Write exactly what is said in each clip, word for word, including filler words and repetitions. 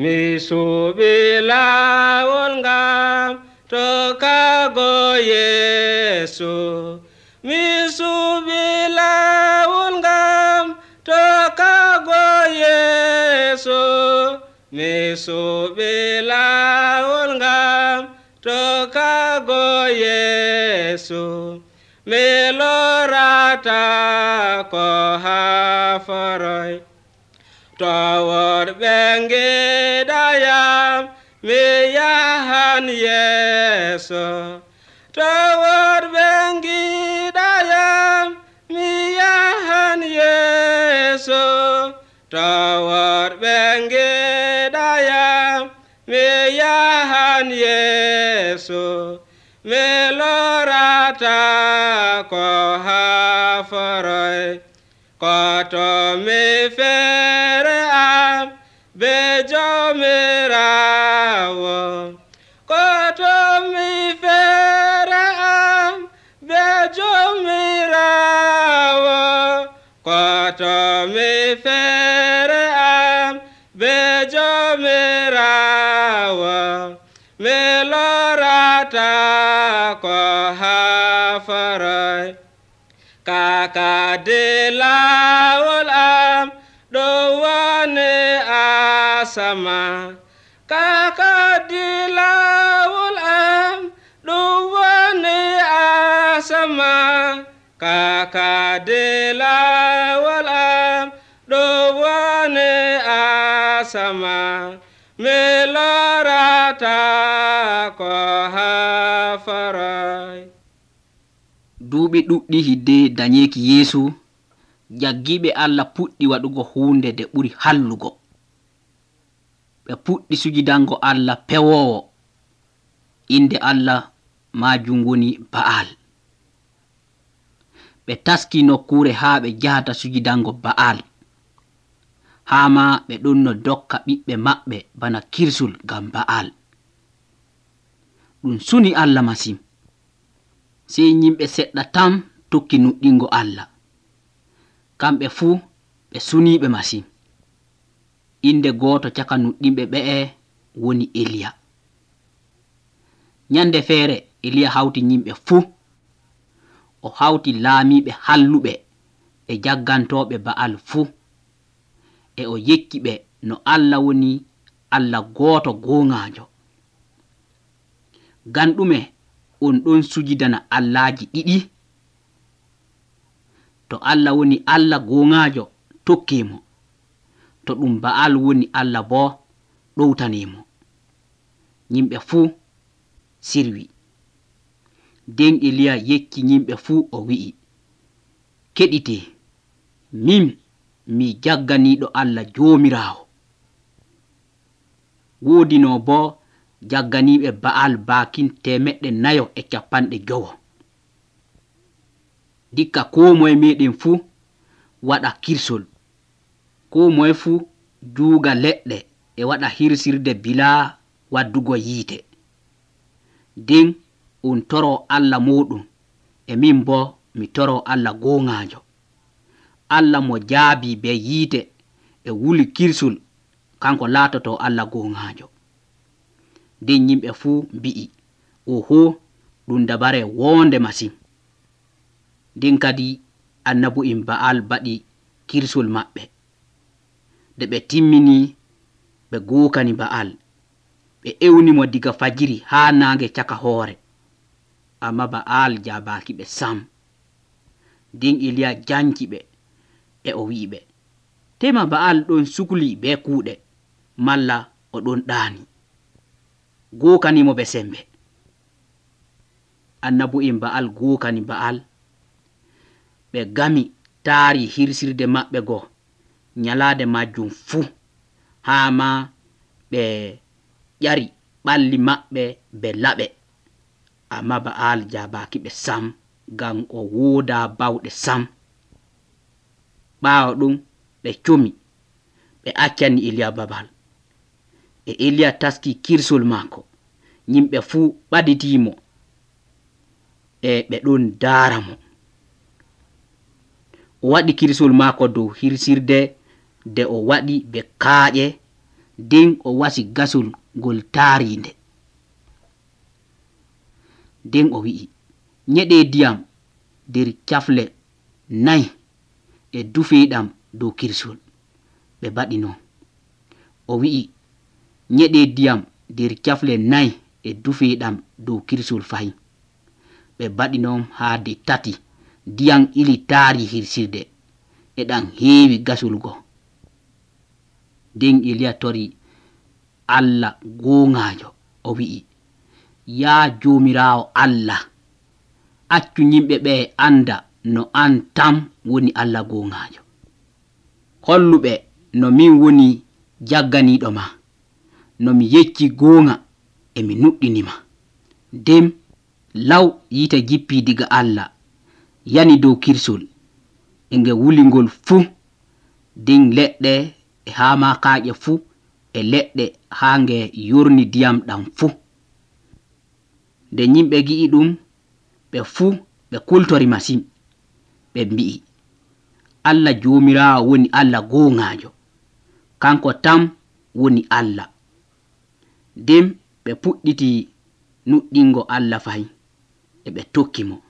mi suɓi laawol ngam tokkago Yeesu. Mi suɓi laawol ngam tokkago Yeesu. Mi suɓi laawol ngam tokkago Yeesu. Mi lorata ko haforoy towod ɓengidayam mi yahan Yeeso. Towod ɓengidayam mi yahan Yeeso. Towod ɓengidayam mi yahan Yeeso. Mi lorata ko haforoy koto mi fere am be Jomirawo. Koto mi fere am be Jomirawo. Koto mi fere am be Jomirawo. Mi lorata ko haforoy kaka de laawol am ɗo woni asama. Kaka de laawol am ɗo woni asama. Kaka de laawol am ɗo woni asama. Mi lorata ko haforoy. duuɓi ɗuɗɗi hidde dañeki Yeesu, jaggiɓe Allah puɗɗi waɗugo hunde nde ɓuri hallugo. ɓe puɗɗi sujidango Allah pewowo. inde Allah majum woni Ba'al. ɓe taski nokkure ha ɓe jahata sujidango Ba'al. hama ɓe ɗon no dokka ɓiɓɓe maɓɓe bana kirsul ngam Ba'al. ɗum suni Allah masin. sey yimɓe seɗɗa tam tokki nuɗɗingo Allah. kamɓe fuu ɓe suniɓe masin. inde goto caka nuɗɗinɓe ɓe'e woni Eliya. nyande feere Eliya hawti yimɓe fuu. o hawti laamiɓe halluɓe e jaggantoɓe Ba'al fuu. e o yekki ɓe no Allah woni Allah goto goŋajo. ngam ɗume on ɗon sujidana Allahji ɗiɗi? to Allah woni Allah goŋajo tokkemo. to ɗum Ba'al woni Allah bo ɗowtanemo. yimɓe fuu sirwi. nden Eliya yekki yimɓe fuu o wi'i, keɗite, min mi jagganiɗo Allah Jomirawo. woodi no bo jagganiɓe Ba'al bakin temeɗɗe nayo e capanɗe jowo. dikka ko moye meɗen fuu waɗa kirsol. ko moye fuu juuga leɗɗe e waɗa hirsirde bila waddugo yiite. nden on toro Allah moɗum e min bo mi toro Allah goŋajo. Allah mo jaabi be yiite e wuli kirsol kanko laatoto Allah goŋajo. nden yimɓe fuu mbi'i, oho, ɗum dabare wonde masin. nden kadi annabu'en Ba'al baɗi kirsol maɓɓe. nde ɓe timmini ɓe gokani Ba'al. ɓe ewnimo diga fajiri ha nange caka hoore. amma Ba'al jabaki ɓe sam. nden Eliya janki ɓe e o wi'iɓe, tema Ba'al ɗon sukli be kuuɗe, malla o ɗon ɗaani. gokanimo ɓe sembe. annabu'en Ba'al gokani Ba'al. ɓe gami taari hirsirde maɓɓe go nyalade majjum fuu. hama ɓe ƴari ɓalli maɓɓe be laɓe. amma Ba'al jabaki ɓe sam ngam o woda bawɗe sam. ɓawo ɗum ɓe comi ɓe accani Eliya babal. e Eliya taski kirsol mako. yimɓe fuu ɓaditimo e ɓe ɗon daara mo. o waɗi kirsol mako dow hirsirde nde o waɗi be kaaƴe nden o wasi gasol ngol taarinde. Nden o wi'i, nyeɗe ndiyam nder cafle nayi e dufeeɗam dow kirsol. Ɓe mbaɗi non. O wi'i, nyeɗe ndiyam nder cafle nayi e dufeeɗam dow kirsol fahin. Ɓe mbaɗi non haa de tati. Ndiyam ili taari hirsirde e ɗam heewi gasol go. Nden Eliya tori Allah goongaajo, o wi'i, yaa Joomiraawo Allah, accu yimɓe ɓe anda no an tam woni Allah goongaajo. Holluɓe no min woni jagganiiɗo ma, no mi yecci goonga e mi nuɗɗinima. Nden law yiite jippii diga Allah yani dow kirsol e nge wulingol fuu. Nden leɗɗe e haamakaaƴe fuu e leɗɗe haa nge yorni ndiyam ɗam fuu. Nde yimɓe gi'i ɗum, ɓe fuu ɓe kultori masin. Ɓe mbi'i, Allah Joomiraawo woni Allah goongaajo, kanko tam woni Allah. Nden ɓe puɗɗiti nuɗɗingo Allah fahin e ɓe tokki mo.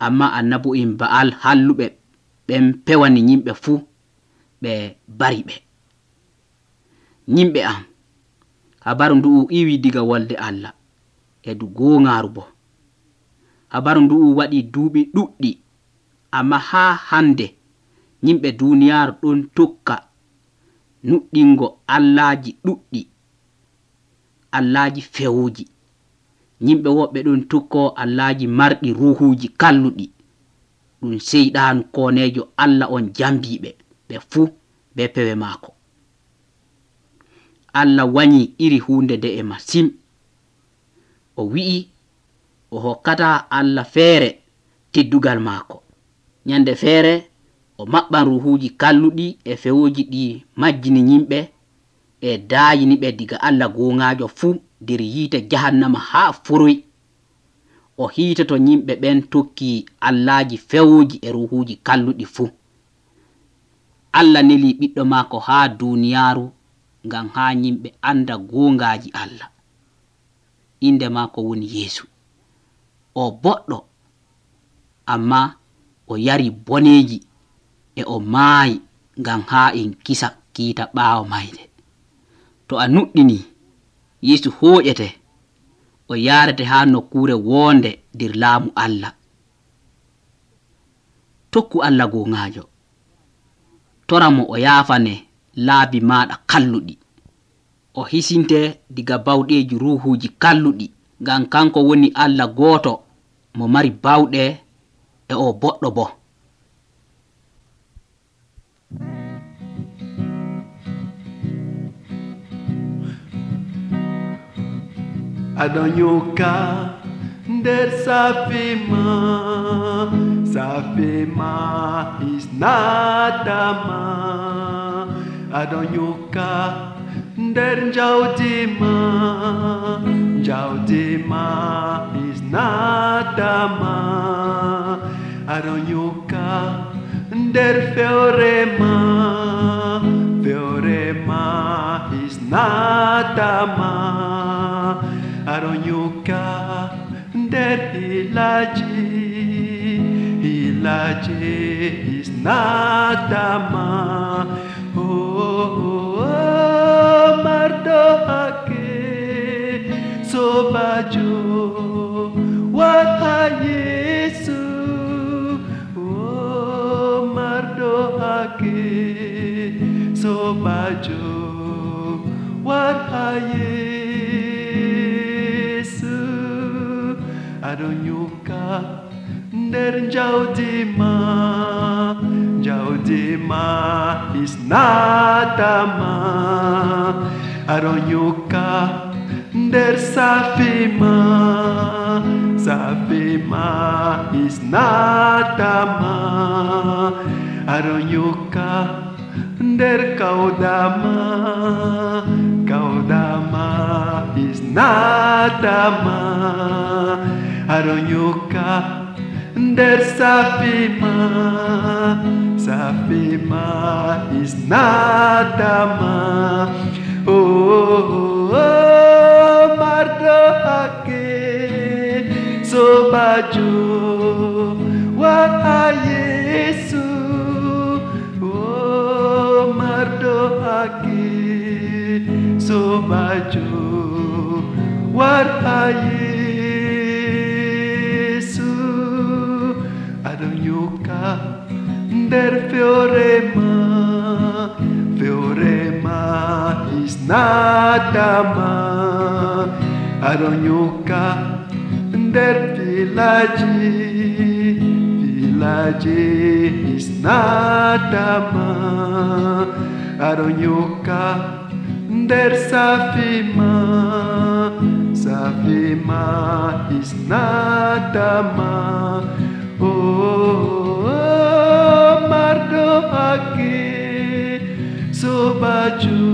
Amma annabo'en Ba'al halluɓe ɓen pewani yimɓe fuu ɓe bari ɓe. Yimɓe am, habaru ndu'u iwi diga wolde Allah e du goongaaru bo. Habaru ndu'u waɗi duuɓi ɗuɗɗi, amma haa hande yimɓe duuniyaaru ɗon tokka nuɗɗingo allaaji ɗuɗɗi, allaaji fewuuji. Yimɓe woɓɓe ɗon tokko allaaji marɗi ruhuuji kalluɗi. Ɗum seyɗaanu kooneejo Allah on jambiiɓe ɓe fuu be pewe maako. Allah wanyi iri hunde nde'e masin. O wi'i o hokkata Allah feere teddugal maako. Nyande feere o maɓɓan ruhuuji kalluɗi e fewuuji ɗi majjini yimɓe e daayini ɓe diga Allah goongaajo fuu nder yiite jahannama haa foroy. O hiitoto yimɓe ɓen tokki allaaji fewuuji e ruhuuji kalluɗi fuu. Allah neli ɓiɗɗo maako haa duuniyaaru ngam haa yimɓe anda goongaaji Allah. Inde maako woni Yeesu. O boɗɗo, amma o yari boneeji e o maayi ngam haa en kisa kiita ɓaawo mayde. To a nuɗɗini, Yeesu hooƴete, o yaarete haa nokkuure woonde nder laamu Allah. Tokku Allah goongaajo, tora mo o yaafane laabi maaɗa kalluɗi. O hisinte diga bawɗeeji ruhuuji kalluɗi, ngam kanko woni Allah gooto mo mari bawɗe e o boɗɗo bo. Adonyoka nder safima, safima is nadama. Adonyoka nder jawdima, jawdima is nadama. Adonyoka nder feorema, feorema is nadama. Adonyoka nder hilaji, hilaji is nadama. Oh, oh, oh, mardo ake sobajo wata Yesu. Oh, mardo ake sobajo wata Yesu. Adonyoka nder jawdima, jawdima is nadama. Adonyoka nder safima, safima is nadama. Adonyoka nder kaudama, kaudama is nadama. Adonyoka nder safima, safima is nadama. sobajo wara Yesu o mardo haki sobajo wara Yesu aɗon yoka nder feorema feorema isnadama aɗon yoka nder filaji filaji isnadama aɗon yoka nder safima safima isnadama o mardo haki sobajo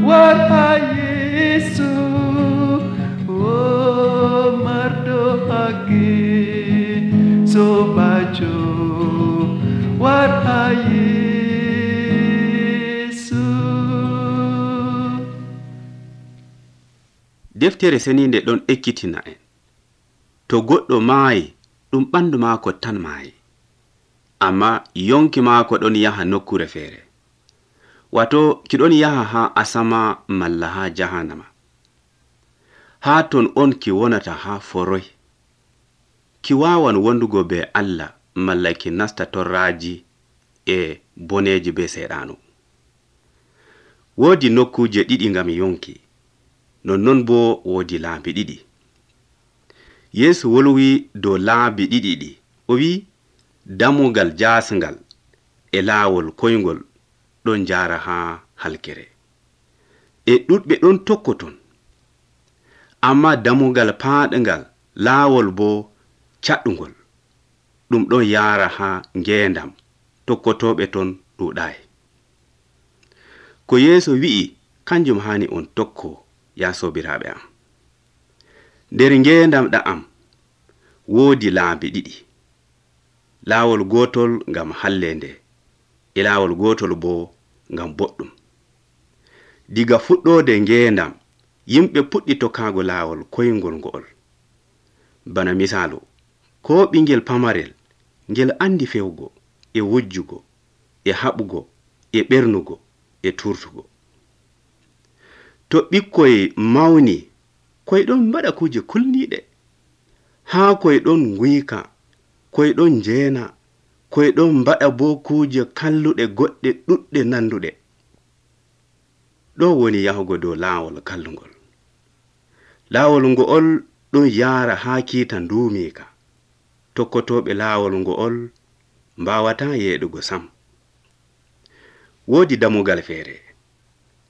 wara Yesu o mardo haki sobajo wara Yesu. Deftere seninde ɗon ekkitina en to goɗɗo maayi ɗum ɓandu maako tan maayi, amma yonki maako ɗon yaha nokkure feere, wato ki ɗon yaha ha asama malla ha jahannama. Ha ton on ki wonata ha foroy, ki wawan wondugo be Allah malla ki nasta torraji e boneji be seɗanu. Woodi nokkuje ɗiɗi ngam yonki, nonnon bo woodi laabi ɗiɗi. Yesu wolwi dow laabi ɗiɗi ɗi, o wi damugal jasngal e laawol koyngol ɗon jara ha halkere, e ɗuɗɓe ɗon tokkoton, amma damugal paaɗngal laawol bo caɗɗungol ɗum ɗon yara ha ngendam, tokkotoɓe ton ɗuɗai. Ko Yesu wi'i kanjum hani on tokko, ya sobiraɓe am. Nder ngendam ɗa'am woodi laabi ɗiɗi, laawol gotol ngam hallende e laawol gotol bo ngam boɗɗum. Diga fuɗɗode ngendam yimɓe puɗɗi tokkago laawol koyngol ngo'ol. Bana misalu, ko ɓingel pamarel ngel andi fewgo e wujjugo e haɓugo e ɓernugo e turtugo. To ɓikkoy mawni koy ɗon mbaɗa kuje kulniɗe, haa koy ɗon nguyka, koy ɗon jeena, koy ɗon mbaɗa bo kuje kalluɗe goɗɗe ɗuɗɗe nanduɗe. Ɗo woni yahugo dow laawol kallungol. Laawol ngo'ol ɗon yaara haa kiita nduumika, tokkotoɓe laawol ngo'ol mbawata yeeɗugo sam. Woodi damugal feere,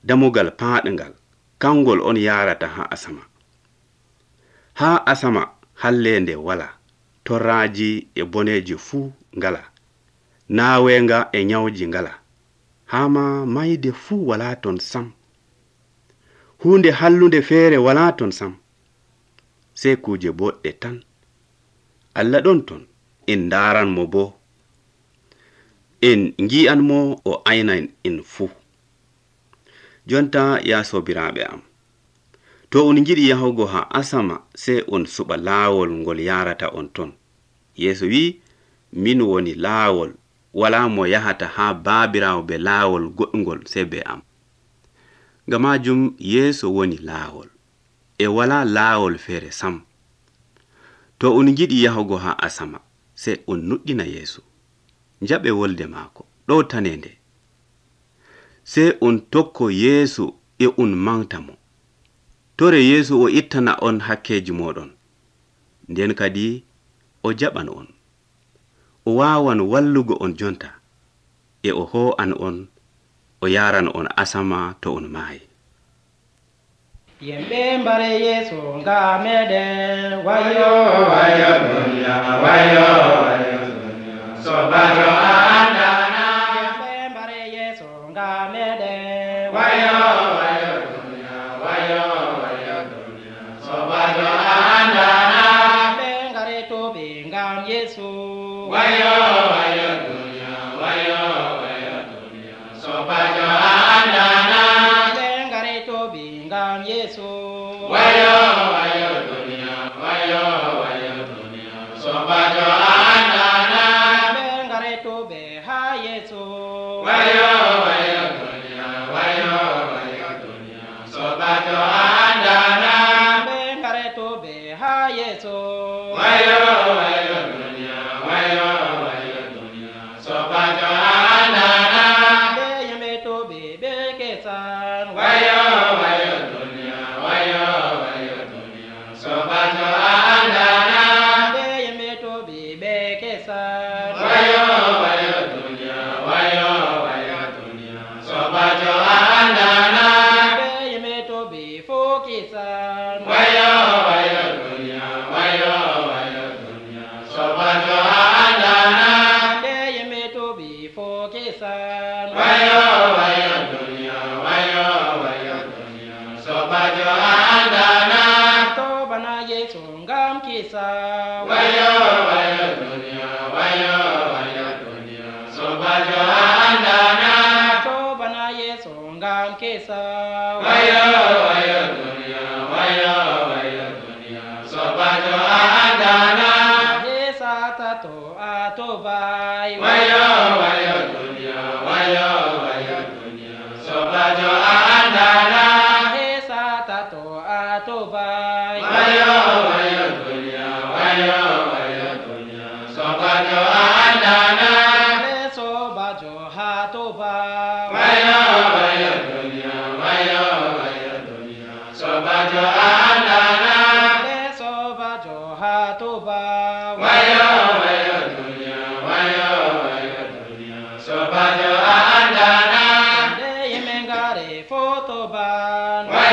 damugal paaɗngal, kangol on yarata ha asama. Ha asama hallende wala, torraji e boneji fuu ngala, naawenga e nyawji ngala, hama mayde fuu wala ton sam. Hunde hallunde feere wala ton sam, sei kuje boɗɗe tan. Allah ɗon ton, en ndaran mo bo, en ngi'an mo o aynan en fuu. Jonta ya sobiraɓe am, to on jiɗi yahugo ha asama sei on suɓa laawol ngol yarata on ton. Yesu wi, min woni laawol, wala mo yahata ha baabirawo be laawol goɗɗungol sei be am. Ngam majum Yesu woni laawol, e wala laawol feere sam. To on jiɗi yahugo ha asama sei on nuɗɗina Yesu, njaɓe wolde maako ɗo tanende, sei on tokko Yesu e on manta mo. Tore Yesu o ittana on hakkeji moɗon, nden kadi o jaɓan on, o wawan wallugo on jonta, e o ho'an on, o yaran on asama to on maayi. Yemɓe mbare Yesu nga meɗen, wayo wayo dunya, wayo wayo dunya, sobajo andana. Yemɓe mbare Yesu nga meɗen, wayo wayo dunya, wayo wayo dunya, sobajo andana. Ɓe ngare toɓe ngam Yesu, wayo wayo dunya, wayo wayo dunya, sobajo andana. Ɓe ngare toɓe ngam Yesu, wayo wayo dunya, wayo wayo dunya. bebe kesan. Wayo wayo dunia, wayo wayo dunia, sobajo andana. Ande yemeto bebe kesan. Wayo wayo dunia, wayo wayo dunia, sobajo andana. Ande yemeto befo kesan. Wayo wayo dunia, wayo wayo dunia, sobajo andana. Ande yemeto befo kesan. Wayo wayo dunia, wayo wayo dunia, sobajo andana. Tobana Yesu ngam kesan. Wayo wayo dunia, wayo wayo dunia, sobajo andana. Tobana Yesu ngam kesan. Wayo wayo dunia, wayo wayo dunia, sobajo andana. Hesa tato atobai. Wayo wayo dunia, wayo wayo dunia, sobajo andana. Hesa tato atobai. Wayo wayo dunia, wayo wayo dunia, sobajo andana. Leso bajo hatobai. Wayo wayo dunia, wayo wayo dunia, sobajo andana. Leso bajo hatobai. Wayo wayo dunia, wayo wayo dunia, sobajo andana. Ande yemengare fotoban. Wayo